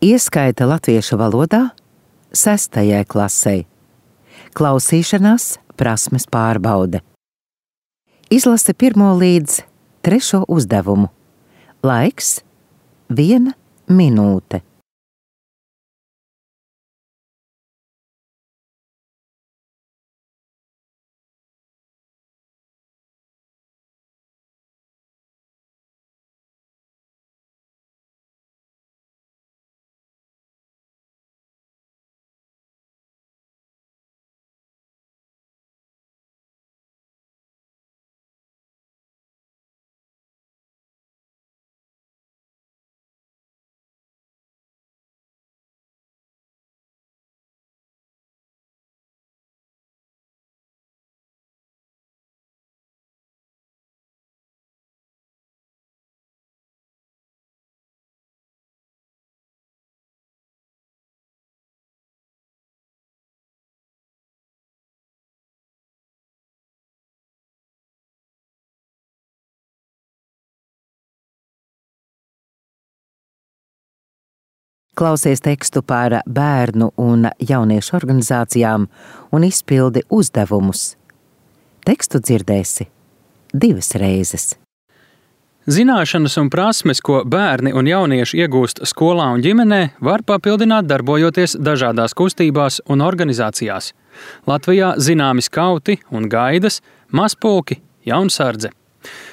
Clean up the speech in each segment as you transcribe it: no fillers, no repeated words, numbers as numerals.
Ieskaita latviešu valodā 6. klasei. Klausīšanās prasmes pārbaude. Izlase 1. līdz 3. uzdevumu. Laiks 1 minūte. Klausies tekstu par bērnu un jauniešu organizācijām un izpildi uzdevumus. Tekstu dzirdēsi 2 reizes. Zināšanas un prasmes, ko bērni un jaunieši iegūst skolā un ģimenē, var papildināt darbojoties dažādās kustībās un organizācijās. Latvijā zināmi skauti un gaidas, mazpulki, jaunsardze.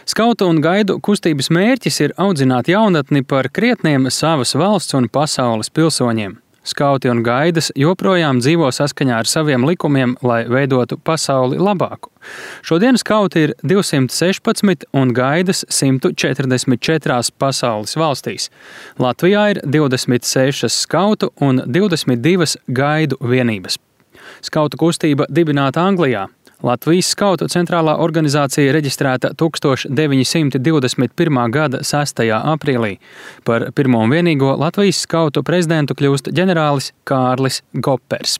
Skautu un gaidu kustības mērķis ir audzināt jaunatni par krietniem savas valsts un pasaules pilsoņiem. Skauti un gaidas joprojām dzīvo saskaņā ar saviem likumiem, lai veidotu pasauli labāku. Šodien skauti ir 216 un gaidas 144 pasaules valstīs. Latvijā ir 26 skautu un 22 gaidu vienības. Skautu kustība dibināta Anglijā. Latvijas skautu centrālā organizācija reģistrēta 1921. gada 6. aprīlī. Par pirmo un vienīgo Latvijas skautu prezidentu kļūst ģenerālis Kārlis Gopers.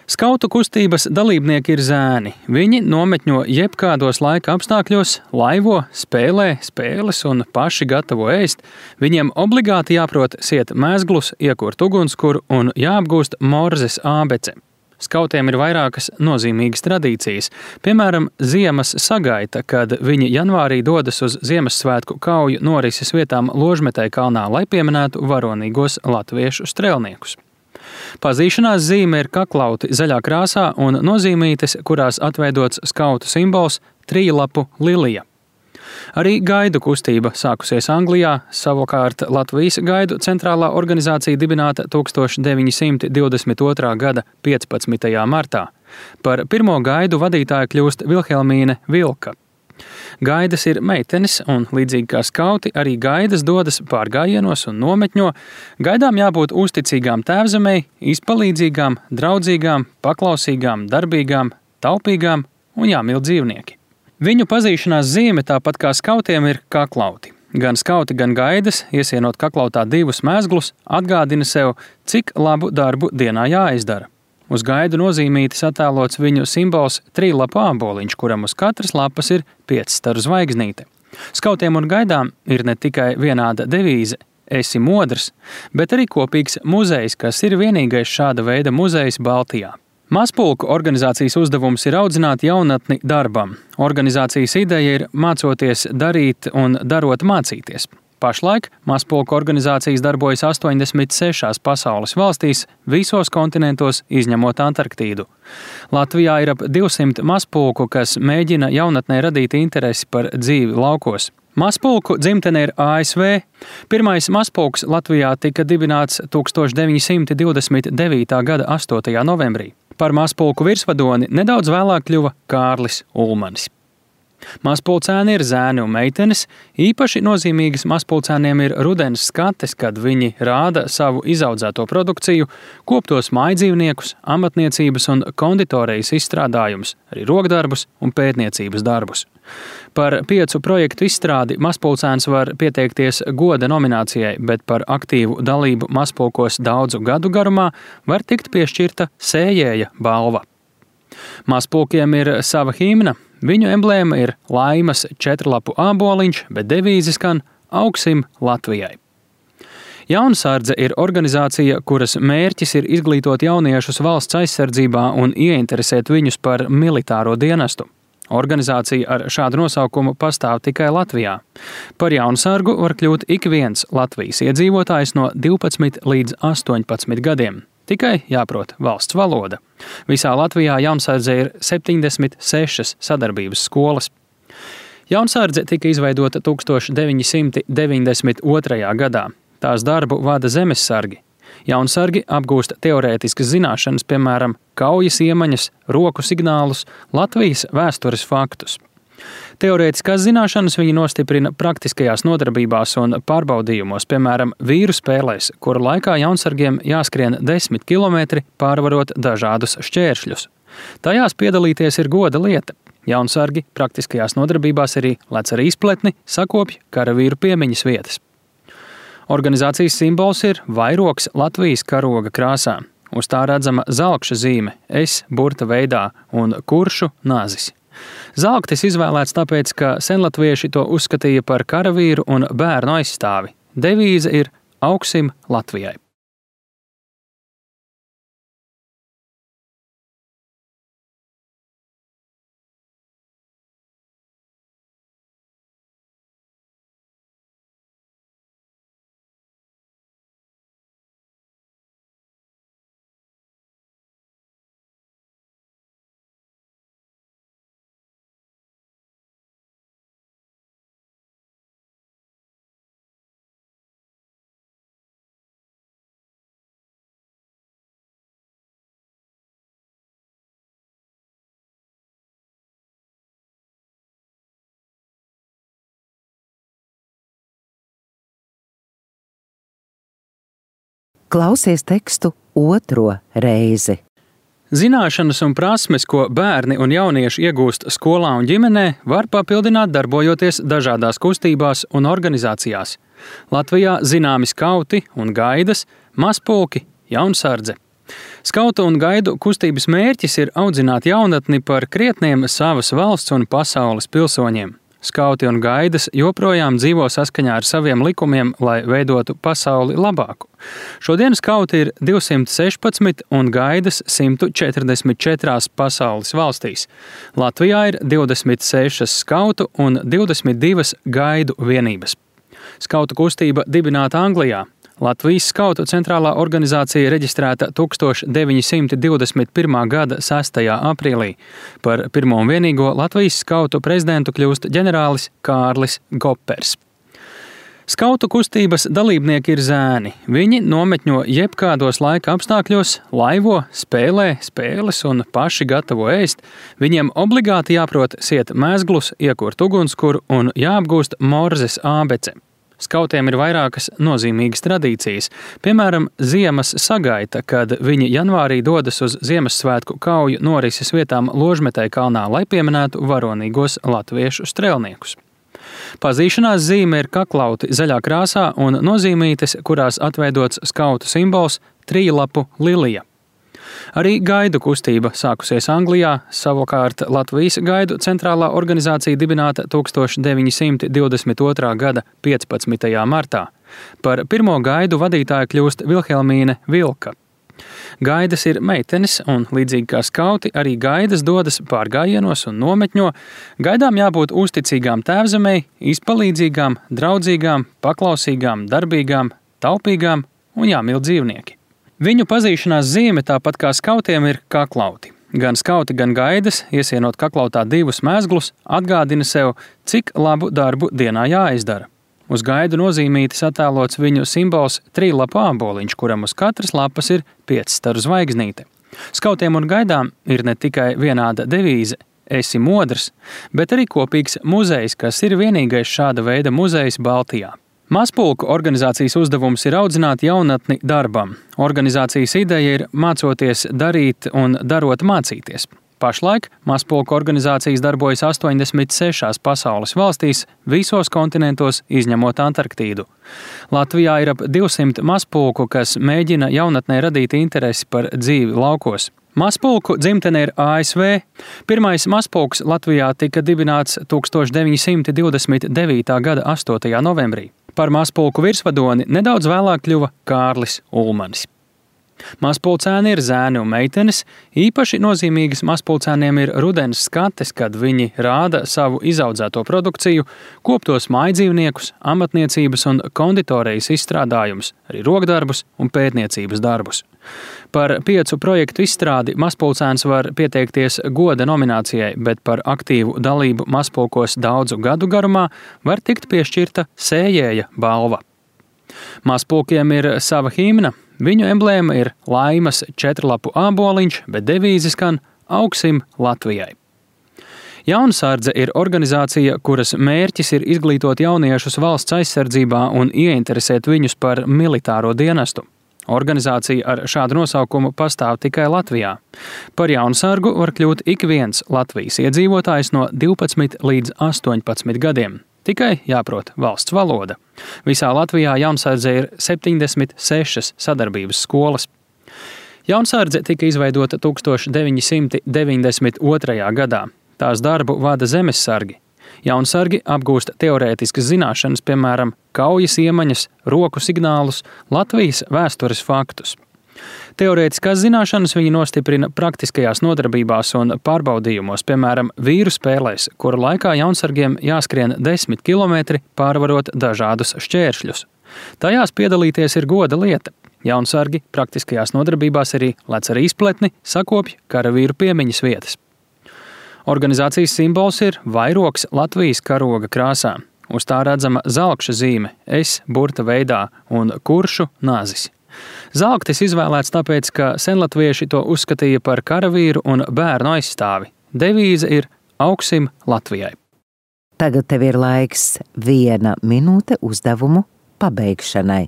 Skautu kustības dalībnieki ir zēni. Viņi nometņo jebkādos laika apstākļos, laivo, spēlē spēles un paši gatavo ēst. Viņiem obligāti jāprot siet mēzglus, iekurt ugunskura un jāapgūst morzes ābece. Skautiem ir vairākas nozīmīgas tradīcijas, piemēram, ziemas sagaita, kad viņi janvārī dodas uz Ziemassvētku kauju norises vietām Ložmetei kalnā, lai pieminētu varonīgos latviešu strēlniekus. Pazīšanās zīme ir kaklauti zaļā krāsā un nozīmītes, kurās atveidots skautu simbols trijlapu lilija. Arī gaidu kustība sākusies Anglijā, savukārt Latvijas gaidu centrālā organizācija dibināta 1922. gada 15. martā. Par pirmo gaidu vadītāju kļūst Vilhelmīne Vilka. Gaidas ir meitenes, un līdzīgi kā skauti, arī gaidas dodas pārgājienos un nometņo. Gaidām jābūt uzticīgām tēvzemei, izpalīdzīgām, draudzīgām, paklausīgām, darbīgām, taupīgām un jāmīl dzīvnieki. Viņu pazīšanās zīme, tāpat kā skautiem, ir kaklauti. Gan skauti, gan gaidas, iesienot kaklautā 2 mēzglus, atgādina sev, cik labu darbu dienā jāizdara. Uz gaidu nozīmītis attēlots viņu simbols trijlapu āboliņš, kuram uz katras lapas ir 5 staru zvaigznīte. Skautiem un gaidām ir ne tikai vienāda devīze "Esi modrs", bet arī kopīgs muzejs, kas ir vienīgais šāda veida muzejs Baltijā. Mazpulku organizācijas uzdevums ir audzināt jaunatni darbam. Organizācijas ideja ir mācoties darīt un darot mācīties. Pašlaik mazpulku organizācijas darbojas 86 pasaules valstīs, visos kontinentos izņemot Antarktīdu. Latvijā ir ap 200 mazpulku, kas mēģina jaunatnē radīt interesi par dzīvi laukos. Mazpulku dzimtene ir ASV. Pirmais mazpulks Latvijā tika dibināts 1929. gada 8. novembrī. Par mazpulku virsvadoni nedaudz vēlāk kļuva Kārlis Ulmanis. Mazpulcēni ir zēni un meitenes. Īpaši nozīmīgas mazpulcēniem ir rudens skates, kad viņi rāda savu izaudzēto produkciju, koptos mājdzīvniekus, amatniecības un konditorijas izstrādājumus, arī rokdarbus un pētniecības darbus. Par 5 projektu izstrādi mazpulcēns var pieteikties goda nominācijai, bet par aktīvu dalību mazpulkos daudzu gadu garumā var tikt piešķirta sējēja balva. Mazpulkiem ir sava himna. Viņu emblēma ir laimas 4-lapu āboliņš, bet devīze skan "Augsim Latvijai". Jaunsardze ir organizācija, kuras mērķis ir izglītot jauniešus valsts aizsardzībā un ieinteresēt viņus par militāro dienestu. Organizācija ar šādu nosaukumu pastāv tikai Latvijā. Par jaunsargu var kļūt ik viens Latvijas iedzīvotājs no 12 līdz 18 gadiem. Tikai jāprot valsts valoda. Visā Latvijā jaunsardze ir 76 sadarbības skolas. Jaunsardze tika izveidota 1992. gadā. Tās darbu vada zemessargi. Jaunsargi apgūst teorētiskas zināšanas, piemēram, kaujas iemaņas, roku signālus, Latvijas vēstures faktus. Teorētiskās zināšanas viņi nostiprina praktiskajās nodarbībās un pārbaudījumos, piemēram, vīru spēlēs, kuru laikā jaunsargiem jāskrien 10 kilometri, pārvarot dažādus šķēršļus. Tajās piedalīties ir goda lieta. Jaunsargi praktiskajās nodarbībās arī lec ar izpletni, sakopj karavīru piemiņas vietas. Organizācijas simbols ir vairogs Latvijas karoga krāsā. Uz tā redzama zalkša zīme, S burta veidā un kuršu nazis. Zalktis izvēlēts tāpēc, ka senlatvieši to uzskatīja par karavīru un bērnu aizstāvi. Devīze ir augsim Latvijai. Klausies tekstu otro reizi. Zināšanas un prasmes, ko bērni un jaunieši iegūst skolā un ģimenē, var papildināt darbojoties dažādās kustībās un organizācijās. Latvijā zināmi skauti un gaidas, mazpulki, jaunsardze. Skautu un gaidu kustības mērķis ir audzināt jaunatni par krietniem savas valsts un pasaules pilsoņiem. Skauti un gaidas joprojām dzīvo saskaņā ar saviem likumiem, lai veidotu pasauli labāku. Šodien skauti ir 216 un gaidas 144 pasaules valstīs. Latvijā ir 26 skautu un 22 gaidu vienības. Skautu kustība dibināta Anglijā. Latvijas skautu centrālā organizācija reģistrēta 1921. gada 6. aprīlī. Par pirmo un vienīgo Latvijas skautu prezidentu kļūst ģenerālis Kārlis Gopers. Skautu kustības dalībnieki ir zēni. Viņi nometņo jebkādos laika apstākļos, laivo, spēlē spēles un paši gatavo ēst. Viņiem obligāti jāprot siet mēzglus, iekurt ugunskura un jāapgūst morzes ābece. Skautiem ir vairākas nozīmīgas tradīcijas, piemēram, ziemas sagaita, kad viņi janvārī dodas uz Ziemassvētku kauju norises vietām Ložmetei kalnā, lai pieminētu varonīgos latviešu strēlniekus. Pazīšanās zīme ir kaklauti zaļā krāsā un nozīmītes, kurās atveidots skautu simbols trīlapu lilija. Arī gaidu kustība sākusies Anglijā, savukārt Latvijas gaidu centrālā organizācija dibināta 1922. gada 15. martā. Par pirmo gaidu vadītāju kļūst Vilhelmīne Vilka. Gaidas ir meitenes un, līdzīgi kā skauti, arī gaidas dodas pārgājienos un nometņo. Gaidām jābūt uzticīgām tēvzemei, izpalīdzīgām, draudzīgām, paklausīgām, darbīgām, taupīgām un jāmīl dzīvnieki. Viņu pazīšanās zīme, tāpat kā skautiem, ir kaklauti. Gan skauti, gan gaidas, iesienot kaklautā divus mēzglus, atgādina sev, cik labu darbu dienā jāizdara. Uz gaidu nozīmītis attēlots viņu simbols trīlapu āboliņš, kuram uz katras lapas ir 5 staru zvaigznīte. Skautiem un gaidām ir ne tikai vienāda devīze "Esi modrs", bet arī kopīgs muzejs, kas ir vienīgais šāda veida muzejs Baltijā. Mazpulku organizācijas uzdevums ir audzināt jaunatni darbam. Organizācijas ideja ir mācoties darīt un darot mācīties. Pašlaik mazpulku organizācijas darbojas 86 pasaules valstīs, visos kontinentos izņemot Antarktīdu. Latvijā ir ap 200 mazpulku, kas mēģina jaunatnē radīt interesi par dzīvi laukos. Mazpulku dzimtene ir ASV. Pirmais mazpulks Latvijā tika dibināts 1929. gada 8. novembrī. Par mazpulku virsvadoni nedaudz vēlāk kļuva Kārlis Ulmanis. Mazpulcēni ir zēni un meitenes, īpaši nozīmīgas mazpulcēniem ir rudens skates, kad viņi rāda savu izaudzēto produkciju, koptos mājdzīvniekus, amatniecības un konditorijas izstrādājumus, arī rokdarbus un pētniecības darbus. Par 5 projektu izstrādi mazpulcēns var pieteikties goda nominācijai, bet par aktīvu dalību mazpulkos daudzu gadu garumā var tikt piešķirta sējēja balva. Mazpulkiem ir sava himna. Viņu emblēma ir laimas 4-lapu āboliņš, bet devīze skan Augsim Latvijai. Jaunsardze ir organizācija, kuras mērķis ir izglītot jauniešus valsts aizsardzībā un ieinteresēt viņus par militāro dienestu. Organizācija ar šādu nosaukumu pastāv tikai Latvijā. Par jaunsargu var kļūt ik viens Latvijas iedzīvotājs no 12 līdz 18 gadiem. Tikai jāprot valsts valoda. Visā Latvijā jaunsardzē ir 76 sadarbības skolas. Jaunsardze tika izveidota 1992. gadā. Tās darbu vada zemessargi. Jaunsargi apgūst teorētiskas zināšanas, piemēram, kaujas iemaņas, roku signālus, Latvijas vēstures faktus. Teorētiskās zināšanas viņi nostiprina praktiskajās nodarbībās un pārbaudījumos, piemēram, vīru spēlēs, kuru laikā jaunsargiem jāskrien 10 kilometri, pārvarot dažādus šķēršļus. Tajās piedalīties ir goda lieta. Jaunsargi praktiskajās nodarbībās arī lec ar izpletni, sakopj karavīru piemiņas vietas. Organizācijas simbols ir vairogs Latvijas karoga krāsā. Uz tā redzama zalkša zīme, S burta veidā un kuršu nazis. Zalktis izvēlēts tāpēc, ka senlatvieši to uzskatīja par karavīru un bērnu aizstāvi. Devīze ir Augsim Latvijai. Tagad tev ir laiks 1 minūte uzdevumu pabeigšanai.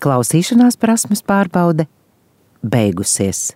Klausīšanās prasmes pārbaude beigusies.